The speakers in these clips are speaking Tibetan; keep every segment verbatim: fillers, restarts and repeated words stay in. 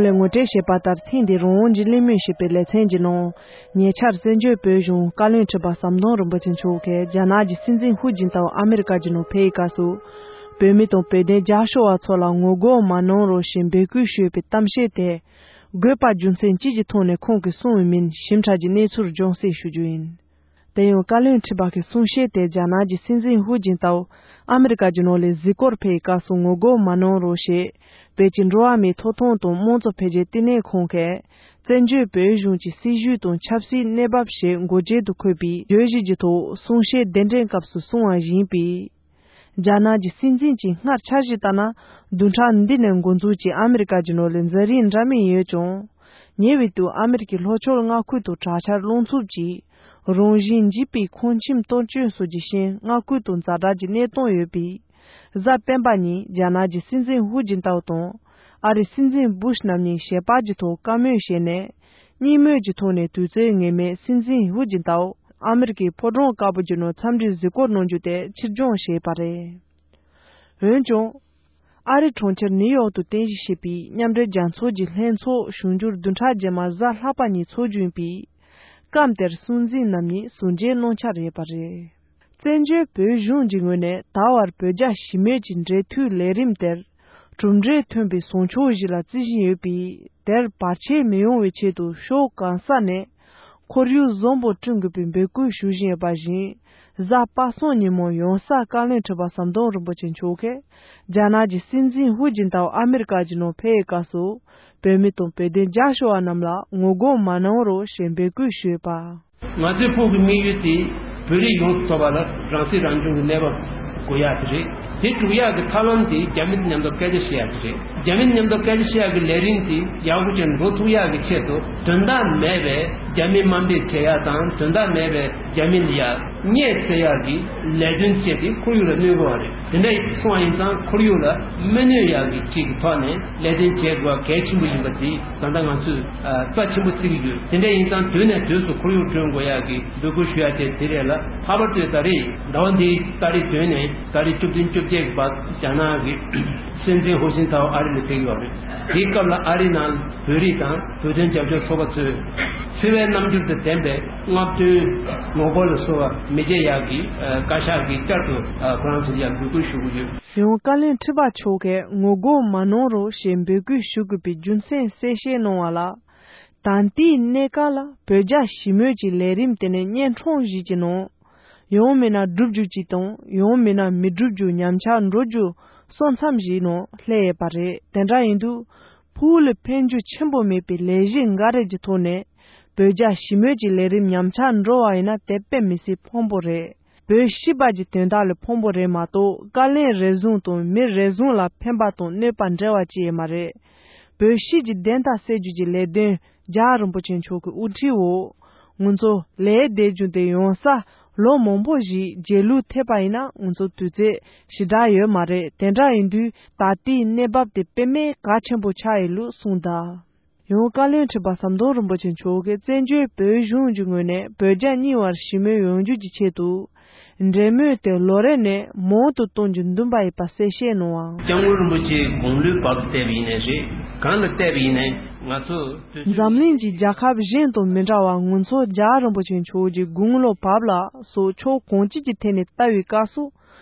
ལས་ངོ་སྤྲོད་བྱས་པ་ལྟར། ཐེངས་འདིའི་རང་དབང་གི་གླེང་མོལ་ཞེས་པའི་ལེ་ཚན་གྱི་ནང་། ཉེ་ཆར་བཙན་བྱོལ་བོད་གཞུང་བཀའ་བློན་ཁྲི་པ་ཟམ་གདོང་རིན་པོ་ཆེ་མཆོག་གིས་རྒྱ་ནག་གི་སྲིད་འཛིན་ཧུའུ་ཅིན་ཐའོ་ཨ་མི་རི་ཀ་གི་ནང་ཕེབས་པའི་སྐབས་སུ། བོད་མི་དང་བོད་དོན་རྒྱབ་སྐྱོར་བ་ཚོ་ལ་ངོ་རྒོལ་མ་གནང་རོགས་ཞེས་འབོད་སྐུལ་ཞུས་པའི་གཏམ་བཤད་དེ། དགོས་པ་རྒྱུ་མཚན་ཅི་ཞིག་ཐོག་ནས་ཁོང་གིས་གསུངས་པ་མིན་ཞིབ་ཕྲ་གྱི་གནས་ཚུལ་རྒྱང་སྲིང་ཞུ་རྒྱུ་ཡིན། དེ་ཡང་བཀའ་བློན་ཁྲི་པ་གི་གསུང་བཤད་དེ་རྒྱ་ནག་གི་སྲིད་འཛིན་ཧུའུ་ཅིན་ཐའོ་ཨ་མི་རི་ཀ་གི་ནང་ལ་གཟིགས་སྐོར་ཕེབས་པའི་སྐབས་སུ་ངོ་རྒོལ་མ་གནང་རོགས་ཞེས་བོད་ཀྱི་འགྲོ་བ་མིའི་ཐོབ་ཐང་དང་དམངས་གཙོ་འཕེལ་རྒྱས་ལྟེ་གནས་ཁང་གིས། བཙན་བྱོལ་བོད་གཞུང་གི་སྲིད་བྱུས་དང་ཆབ་སྲིད་གནས་བབ་ཞེས་འགོ་འབྱེད་དུ་འཁོད་པའི་བརྗོད་གཞི་གྱི་ཐོག་གསུང་བཤད་གདན་འདྲེན་སྐབས་སུ་གསུངས་པ་བཞིན་པའི། རྒྱ་ནག་གི་སྲིད་འཛིན་གྱིས་སྔར་འཆར་གཞི་ལྟར་ན། བདུན་ཕྲག་འདི་ནས་འགོ་འཛུགས་ཀྱིས་ཨ་མི་རི་ཀ་གི་ནང་ལ་འཛིན་རིམ་འདྲ་མིན་ཡོད་ཀྱང་། ཉེ་བའི་དུས་ཨ་མི་རི་ཀའི་ལྷོ་ཕྱོགས་མངའ་ཁུལ་དུ་དྲག་ཆར་རླུང་འཚུབ་ཀྱིས་རང་བཞིན་འཇིག་པའི་ཁང་ཁྱིམ་གཏོར་སྐྱོན་སོགས་ཀྱི་རྐྱེན་མངའ་ཁུལ་དུ་ཛ་དྲག་གི་གནས་སྟངས་ཡོད་པས། གཟའ་སྤེན་པ་ཉིན་རྒྱ་ནག་གི་སྲིད་འཛིན་ཧུའུ་ཅིན་ཐའོ་དང་། ཨ་རིའི་སྲིད་འཛིན་བུ་ཤ་རྣམ་གཉིས་ཞལ་པར་གྱི་ཐོག་བཀའ་མོལ་བྱས་ནས། གཉིས་མོས་ཀྱི་ཐོག་ནས་དུས་ཚོད་ངེས་མེད་སྲིད་འཛིན་ཧུའུ་ཅིན་ཐའོ་ཨ་མི་རི་ཀའི་ཕོ་བྲང་དཀར་པོ་གྱི་ནང་འཚམས་འདྲིའི་གཟིགས་སྐོར་གནང་རྒྱུ་དེ་ཕྱིར་འགྱངས་བྱས་པ་རེད། འོན་ཀྱང་། ཨ་རི་གྲོང་ཁྱེར་ནིའུ་ཡོག་ཏུ་རྟེན་གཞི་བྱས་པའི་མཉམ་འབྲེལ་རྒྱལ་ཚོགས་ཀྱི་ལྷན་ཚོགས་གཞུང་འགྱུར་བདུན་ཕྲག་རྗེས་མ་གཟའ་ལྷག་པ་ཉིན་འཚོགས་རྒྱུ་ཡིན་པས། སྐབས་དེར་སྲིད་འཛིན་རྣམ་གཉིས་ཟུར་མཇལ་གནང་འཆར་ཡོད་པ་རེད། བཙན་བྱོལ་བོད་གཞུང་གི་ངོས་ནས་ད་བར་བོད་རྒྱ་ཞི་མོལ་གྱི་འབྲེལ་མཐུད་ལས་རིམ་དེར་གྲུབ་འབྲས་ཐོན་པའི་བཟང་ཕྱོགས་ཤིག་ལ་བརྩི་བཞིན་ཡོད་པས། དེར་བར་ཆད་མི་ཡོང་བའི་ཆེད་དུ་ཕྱོགས་གང་ས་ནས་ཁོར་ཡུག་བཟང་པོ་བསྐྲུན་དགོས་པའི་འབོད་སྐུལ་ཞུ་བཞིན་ཡོད་པ་བཞིན། གཟའ་པ་སངས་ཉིན་མོ་ཡོང་ས་བཀའ་བློན་ཁྲི་པ་ཟམ་གདོང་རིན་པོ་ཆེ་མཆོག་གིས་རྒྱ་ནག་གི་སྲིད་འཛིན་ཧུའུ་ཅིན་ཐའོ་ཨ་མི་རི་ཀ་གི་ནང་ཕེབས་པའི་སྐབས་སུ། བོད་མི་དང་བོད་དོན་རྒྱབ་སྐྱོར་བ་རྣམས་ལ་ངོ་རྒོལ་མ་གནང་རོགས་ཞེས་འབོད་སྐུལ་ཞུས་པ། ང་ཚོའི་ཕུགས་ཀྱི་དམིགས་ཡུལ་དེ་བོད་རིགས་ཡོངས་སུ་རྫོགས་པ་ལ་རང་སྲིད་རང་སྐྱོང་གི་གནས་བབ་དགོས་ཡག་དེ་རེད། དེ་སྒྲུབ་ཡག་གི་ཐབས་ལམ་དེ་རྒྱ་མི་དང་མཉམ་དུ་སྐད་ཆ་བཤད་ཡག་དེ་རེད། རྒྱ་མི་དང་མཉམ་དུ་སྐད་ཆ་བཤད་ཡག་གི་ལས་རིམ་དེ་ཡག་པོ་བྱས་འགྲོ་ཐུབ་ཡག་གི་ཆེད་དུ། དོན་དག་མེད་པའི་རྒྱ་མི་དམའ་འབེབས་བྱེད་ཡག་དང་། དོན་དག་མེད་པའི་རྒྱ་མི་ལ་ཡ་བརྙས་བཙལ་ཡག་གི་ལས་དོན་བྱས་ཏེ་ཁོར་ཡུག་ལ་གནོད་དགོས་པ་རེད། དེ་འདྲ་སོང་བ་ཡིན་ཙང་ཁོར་ཡུག་ལ་མི་གནོད་ཡག་གི་ཅིག་གི་ཐོག་ནས་ལས་དོན་བྱེད་དགོས་པ་གལ་ཆེན་པོ་ཡིན་པ་དེ་ད་ལྟ་ང་ཚོས་ཨ་རྩ་ཆེན་པོ་བརྩི་གི་ཡོད། དེ་འདྲ་ཡིན་ཙང་དུས་ནས་དུས་སུ་ཁོར་ཡུག་སྐྲུན་དགོས་ཡག་གི་འབོད་སྐུལ་ཞུ་ཡག་དེ་དེ་རེད་ལ། ལྷག་པར་དུ་ད་རེས་ཟླ་བ་འདིའི་ཏ་རིག་བདུན་ནས་ཏ་རིག་བཅུ་བདུན་བཅོ་བརྒྱད་ཀྱི་བར་རྒྱ་ནག་གི་སྲིད་འཛིན་ཧུའུ་ཅིན་ཐའོ་ཨ་རི་ལ་ཕེབས་ཀྱི་ཡོད་རེད། དེའི་སྐབས་ལ་ཨ་རི་ནང་བོད་རིགས་དང་བོད་དོན་རྒྱབ་སྐྱོར་ཚོགས་པ་ཚོས་འཚེ་བའི་རྣམ་འགྱུར་དང་ལྡན་པའི་རྔམ་སྟོན་ངོ་རྒོལ་ལ་སོགས་པ་མི་བྱེད་ཡག་གི་བཀའ་ཤག་གིས་བསྐྱར་དུ་ཁོ་རང་ཚོར་ཡང་འབོད་སྐུལ་ཞུ་གི་ཡོད། ཡང་བཀའ་བློན་ཁྲི་པ་མཆོག་གིས་ངོ་རྒོལ་མ་གནང་རོགས་ཞེས་འབོད་སྐུལ་ཞུ་དགོས་པའི་རྒྱུ་མཚན་གསལ་བཤད་གནང་བ་ལ། ད་ལྟའི་གནས་སྐབས་ལ་བོད་རྒྱ་ཞི་མོལ་གྱི་ལས་རིམ་དེ་ནི་གཉན་འཕྲང་ཞིག་གི་ནང་། ཡང་མིན་ན་འགྲུབ་རྒྱུ་གཅིག་དང་ཡང་མིན་ན་མི་འགྲུབ་རྒྱུ་ཉམས་ཆག་འགྲོ་རྒྱུ་སོ་མཚམས་ཤིག་ནང་སླེབས་ཡོད་པ་རེད། དེ་འདྲ་ཡིན་དུས་ཕུགས་ལ་ཕན་རྒྱུ་ཆེན་པོ་མེད་པའི་ལས་གཞི་འགའ་རེ་གྱི་ཐོག་ནས་བོད་རྒྱ་ཞི་མོལ་གྱི་ལས་རིམ་ཉམས་ཆག་འགྲོ་བ་ཡིན་ན་དེ་དཔེ་མི་སྲིད་ཕངས་པོ་རེད། བོད་སྤྱི་པ་གྱི་དོན་དག་ལ་ཕངས་པོ་རེད་མ་གཏོགས། བཀའ་བློན་རེ་ཟུང་དང་མི་རེ་ཟུང་ལ་ཕན་པ་དང་གནོད་པ་འབྲེལ་བ་ཅི་ཡང་མ་རེད། བོད་སྤྱི་གི་བདེན་མཐའ་གསལ་རྒྱུ་གྱི་ལས་དོན་རྒྱལ་བ་རིན་པོ་ཆེ་མཆོག་གི་དབུ་ཁྲིད་འོག་ང་ཚོ་ལས་བསྡད་རྒྱུ་དེ་ཡོང་ས་ལོ་མང་པོ་ཞིག་རྗེས་ལུས་ཐེབས་པ་ཡིན་ན་ང་ཚོ་དུས་ཚོད་ཞེ་དྲག་ཡོད་མ་རེད། དེ་འདྲ་ཡིན་དུས་ད་ལྟའི་གནས་བབ་དེ་དཔེ་མེད་གལ་ཆེན་པོ་ཆགས་ཡོད་ལུགས་གསུངས་གདའ། ཡང་བཀའ་བློན་ཁྲི་པ་ཟམ་གདོང་རིན་པོ་ཆེ་མཆོག་གིས་བཙན་བྱོལ་བོད་གཞུང་གི་ངོས་ནས་བོད་རྒྱ་གཉིས་བར་ཞི་མོལ་ཡོང་རྒྱུ་གྱི་ཆེད་དུ། འབྲེལ་མོལ་དེ་ལོ་རེ་ནས་མང་དུ་གཏོང་རྒྱུ་འདུན་པ་ཡོད་པ་གསལ་བཤད་གནང་བ། སྐྱབས་མགོན་རིན་པོ་ཆེའི་དགུང་ལོའི་བར་དུ་བལྟས་པ་ཡིན་ནའི་རེད། གང་ལ་བལྟས་པ་ཡིན་ནའི་ང་ཚོ་དུས་ཚོད། འཛམ་གླིང་གི་རྒྱལ་ཁབ་གཞན་དང་མི་འདྲ་བར་ང་ཚོ་རྒྱལ་བ་རིན་པོ་ཆེ་མཆོག་གི་དགུང་ལོ་བབས་ལ་སོགས་ཕྱོགས་གང་ཅིའི་ཐད་ནས་ལྟ་བའི་སྐབས་སུ།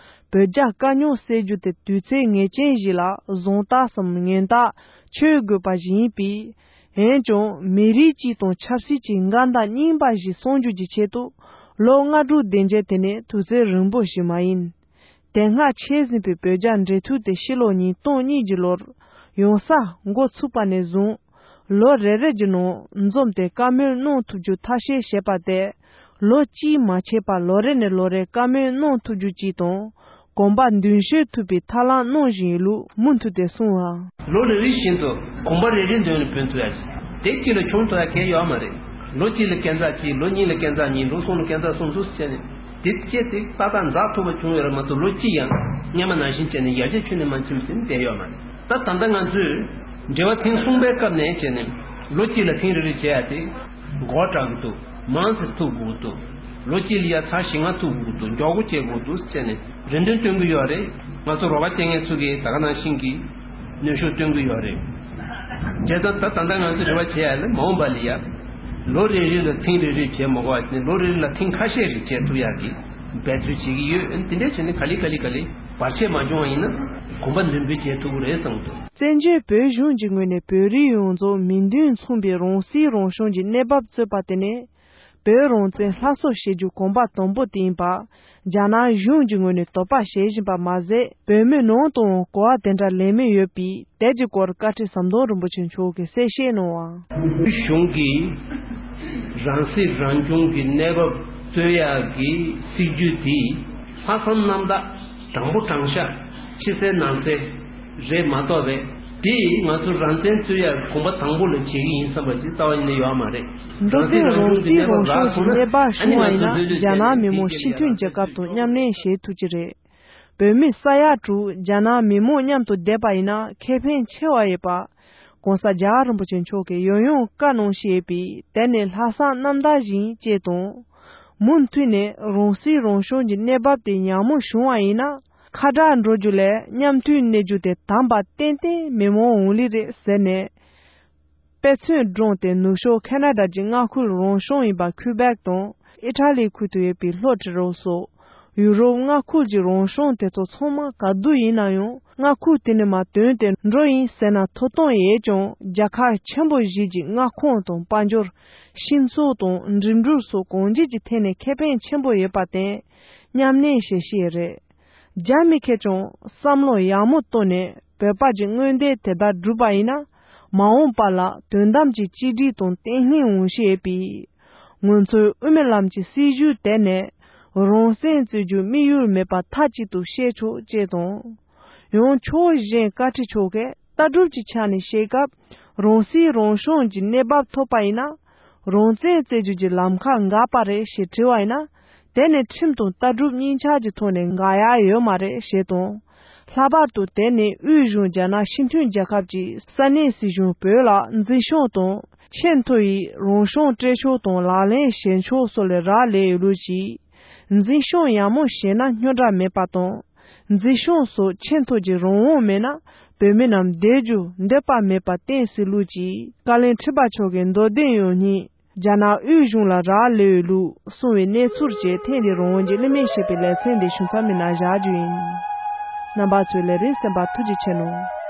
བོད་རྒྱ་དཀའ་རྙོག་སེལ་རྒྱུ་དེ་དུས་ཚོད་ངེས་ཅན་ཞིག་ལ་བཟང་རྟགས་སམ་ངན་རྟགས་ཆོད་དགོས་པ་ཞིག་ཡིན་པས། འོན་ཀྱང་མི་རིགས་གཅིག་དང་ཆབ་སྲིད་ཀྱི་མངའ་བདག་རྙིང་པ་ཞིག་སྲུང་རྒྱུ་གྱི་ཆེད་དུ་ལོ་ལྔ་དྲུག་བདུན་བརྒྱད་དེ་ནི་དུས་ཚོད་རིང་པོ་ཞིག་མ་ཡིན། དེ་སྔ་ཆད་ཟིན་པའི་བོད་རྒྱ་འབྲེལ་མཐུད་དེ་ཕྱི་ལོ་ཉིས་སྟོང་གཉིས་ཀྱི་ལོར་ཡོང་ས་འགོ་ཚུགས་པ་ནས་བཟུང་། ལོ་རེ་རེ་གྱི་ནང་འཛོམས་ཏེ་བཀའ་མོལ་གནང་ཐུབ་རྒྱུ་ཐབས་ཤེས་བྱས་པ་དེ། ལོ་གཅིག་མ་ཆད་པར་ལོ་རེ་ནས་ལོ་རེར་བཀའ་མོལ་གནང་ཐུབ་རྒྱུ་གཅིག་དང་། གོམ་པ་མདུན་སྤོས་ཐུབ་པའི་ཐབས་ལམ་གནང་བཞིན་ཡོད་ལུགས་མུ་མཐུད་དེ་གསུངས་པ། ལོ་རེ་རེ་བཞིན་དུ་གོམ་པ་རེ་རེ་མདུན་ལ་འབུད་ཐུབ་ཡ་ཞིག་དེ་གཅིག་ལ་བྱུང་ཐུབ་ཡ་གང་ཡོད་མ་རེད། ལོ་གཅིག་ལ་སྐས་འཛེག་གཅིག་ལོ་གཉིས་ལ་སྐས་འཛེག་གཉིས་ལོ་གསུམ་ལ་སྐས་འཛེག་གསུམ་ཚུགས་བྱས་ནས་དེ་བྱས་ཏེ་ཏག་ཏག་འཛེག་ཐུབ་པ་བྱུང་ཡོད་རེད་མ་གཏོགས་ལོ་གཅིག་ཡང་སྔོན་མ་ནང་བཞིན་བྱས་ནས་ཡར་རྒྱས་ཁྱོན་ནས་མ་ཕྱིན་ཟིན་བསྡད་ཡོད་མ་རེད། ད་ད་ལྟ་ང་ཚོས་འབྲེལ་བ་ཐེངས་གསུམ་པའི་སྐབས་ནས་བྱས་ནས་ལོ་གཅིག་ལ་ཐེངས་རེ་རེ་བྱས་ཡ་དེ་མགོ་སྐྲག་གི་འདུག་མང་ཙམ་ཐུག་དགོས་འདུག་ལོ་གཅིག་ལ་ཡ་ཚར་བཞི་ལྔ་ཐུག་དགོས་འདུག་མགྱོགས་པོ་བྱེད་དགོས་འདུག་ཟེར་ནས་རེ་འདུན་བཏོན་གི་ཡོད་རེད། ང་ཚོ་རོགས་པ་བྱེད་མཁན་ཚོ་གིས་ད་ག་ནང་བཞིན་གྱི་གནོན་ཤུགས་བཏོན་གི་ཡོད་རེད། བྱས་ཙང་ད་ད་ལྟ་ང་ཚོས་རེ་བ་བྱེད་ཡ་ལ་མ་འོངས་པ་ལ་ཡ། ལོ་རེ་རེ་ལ་ཐེངས་རེ་རེ་བྱས་མ་དགོས་པ་ནི་ལོ་རེ་རེ་ལ་ཐེངས་ཁ་ཤས་རེ་བྱས་ཐུབ་ཡ་གི་འབད་རྩོལ་བྱེད་ཀྱི་ཡོད། དེ་འདྲ་བྱས་ནས་ག་ལེ་ག་ལེ་ག་ལེ་བར་ཆད་མ་བྱུང་བ་ཡིན་ན་གོམ་པ་མདུན་སྤོས་བྱེད་ཐུབ་ཀྱི་རེད་བསམ་གྱི་འདུག། བཙན་བྱོལ་བོད་གཞུང་གི་ངོས་ནས་བོད་རིགས་ཡོངས་རྫོགས་མིང་དོན་མཚུངས་པའི་རང་སྲིད་རང་སྐྱོང་གི་གནས་བབ་རྩོད་པ་དེ་ནི། བོད་རང་བཙན་སླར་གསོ་བྱེད་རྒྱུ་གོམ་པ་དང་པོ་དེ་ཡིན་པ། རྒྱ་ནག་གཞུང་གི་ངོས་ནས་དོགས་པ་བྱེད་བཞིན་པ་མ་ཟད། བོད་མི་ནང་དུའང་གོ་བ་དེ་འདྲ་ལེན་མུས་ཡོད་པས། དེ་གྱི་སྐོར་བཀའ་ཁྲི་ཟམ་གདོང་རིན་པོ་ཆེ་མཆོག་གིས་གསལ་བཤད་གནང་བ། བོད་གཞུང་གིས་རང་སྲིད་རང་སྐྱོང་གི་གནས་བབ་རྩོད་ཡག་གི་སྲིད་ཇུས་དེ་ལྷག་བསམ་རྣམ་དག་དྲང་པོ་དྲང་བཞག་ཕྱི་གསལ་ནང་གསལ་རེད་མ་གཏོགས་པས། དེས་ང་ཚོ་རང་བཙན་རྩོད་ཡག་གོམ་པ་དང་པོ་ལ་བྱེད་ཀྱི་ཡིན་བསམ་པ་ཅིག་རྩ་བ་ཉིད་ནས་ཡོད་མ་རེད། འགྲོ་དོན་རང་སྲིད་རང་སྐྱོང་གི་གནས་བབ་རག་སོང་ན་ཨ་ནི་ང་ཚོ་འདོད་འདོད་བྱས་ནས་རྒྱ་ནག་མི་དམངས་སྤྱི་མཐུན་རྒྱལ་ཁབ་དང་མཉམ་གནས་བྱེད་ཐུབ་ཀྱི་རེད། བོད་མི་ས་ཡ་དྲུག་རྒྱ་ནག་མི་མང་མཉམ་དུ་བསྡད་པ་ཡིན་ན་ཁེ་ཕན་ཆེ་བ་ཡོད་པ། ༸གོང་ས་རྒྱལ་བ་རིན་པོ་ཆེ་མཆོག་གིས་ཡང་ཡང་བཀའ་གནང་བཞིན་ཡོད་པས། དེ་ནི་ལྷག་བསམ་རྣམ་དག་ཞིག་ཅེས་དང་། མུ་མཐུད་ནས་རང་སྲིད་རང་སྐྱོང་གི་གནས་བབ་དེ་ཡག་མོ་བྱུང་བ་ཡིན་ན། ཁ་བྲལ་འགྲོ་རྒྱུ་ལས་མཉམ་མཐུད་གནས་རྒྱུ་དེ་དམ་པ་ཏན་ཏན་མི་མང་འོང་ལེ་རེད་ཟེར་ནས། དཔེ་མཚོན་བགྲངས་ཏེ་ནུབ་ཕྱོགས་ཁ་ན་ཌ་གྱི་མངའ་ཁུལ་རང་སྐྱོང་ཡིན་པ་ཁུ་བེག་དང་ཨི་ཊ་ལི་ཁུལ་དུ་ཡོད་པའི་ལྷོ་ཊི་རོ་སོགས་ཡུ་རོབ་མངའ་ཁུལ་གྱི་རང་སྐྱོང་དེ་ཚོ་ཚང་མ་ག་དུས་ཡིན་ན་ཡང་མངའ་ཁུལ་དེ་ནས་མར་དོན་དེ་འགྲོ་ཡིན་ཟེར་ན་ཐོབ་ཐང་ཡོད་ཀྱང་རྒྱལ་ཁབ་ཆེན་པོ་བཞི་གྱི་མངའ་ཁོངས་དང་དཔལ་འབྱོར། སྤྱི་ཚོགས་དང་འགྲིམ་འགྲུལ་སོགས་གང་ཅི་གི་ཐད་ནས་ཁེ་ཕན་ཆེན་པོ་ཡོད་པར་བརྟེན་མཉམ་གནས་བྱེད་ཤེས་རེད། རྒྱ་མི་ཁེར་ཀྱང་བསམ་བློ་ཡག་མོ་བཏང་ནས་བོད་པ་གྱི་མངོན་འདོད་དེ་ལྟར་བསྒྲུབས་པ་ཡིན་ན། མ་འོངས་པ་ལ་དོན་དམ་གྱི་གཅིག་སྒྲིལ་དང་བརྟན་ལྷིང་འོང་ཤེས་པས། ང་ཚོའི་དབུ་མའི་ལམ་གྱི་སྲིད་བྱུས་དེ་ནི་རང་བཙན་རྩོད་རྒྱུའི་དམིགས་ཡུལ་མེད་པ་མཐའ་གཅིག་ཏུ་བཤད་ཆོག་ཅེས་དང་། ཡང་ཕྱོགས་གཞན་བཀའ་ཁྲི་མཆོག་གིས་ལྟ་གྲུབ་ཀྱི་ཆ་ནས་བཤད་སྐབས། རང་སྲིད་རང་སྐྱོང་གི་གནས་བབ་ཐོབ་པ་ཡིན་ན། རང་བཙན་རྩོད་རྒྱུ་གྱི་ལམ་ཁ་འགག་པ་རེད་ཞེས་དྲིས་པ་ཡིན་ན། དེ་ནི་ཁྲིམས་དང་ལྟ་གྲུབ་གཉིས་ཆར་གྱི་ཐོག་ནས་འགག་ཡ་ཡོད་མ་རེད་ཞེས་དང་། ལྷག་པར་དུ་དེ་ནི་དབུས་གཞུང་རྒྱ་ནག་སྤྱི་མཐུན་རྒྱལ་ཁབ་ཀྱི་ས་གནས་སྲིད་གཞུང་བོད་ལ་འཛིན་སྐྱོང་དང་ཆེས་མཐོ་ཡི་རང་སྐྱོང་སྤྲད་ཕྱོགས་དང་ལག་ལེན་བྱེད་ཕྱོགས་སོགས་ལས་རག་ལས་ཡོད་ལུགས་ཀྱིས། འཛིན་སྐྱོང་ཡག་མོ་བྱས་ན་རྙོག་དྲ་མེད་པ་དང་། འཛིན་སྐྱོང་སོགས་ཆེས་མཐོ་གི་རང་དབང་མེད་ན་བོད་མི་རྣམས་བསྡད་རྒྱུ་འདོད་པ་མེད་པ་བསྟན་སྲིད་ལུགས་ཀྱིས་བཀའ་བློན་ཁྲི་པ་མཆོག་གི་མདོ་དོན་ཡང་སྙིང་རྒྱ་ནག་དབུས་གཞུང་ལ་རག་ལས་ཡོད་ལུགས་གསུངས་པའི་གནས་ཚུལ་བཅས་ཐེངས་འདིའི་རང་དབང་གི་གླེང་མོལ་ཞེས་པའི་ལེ་ཚན་འདི་ཞུ་མཚམས་མི་ནང་བཞག་རྒྱུ་ཡིན། རྣམ་པ་ཚོས་ལས་རིམ་གསན་པར་ཐུགས་རྗེ་ཆེ་གནང་།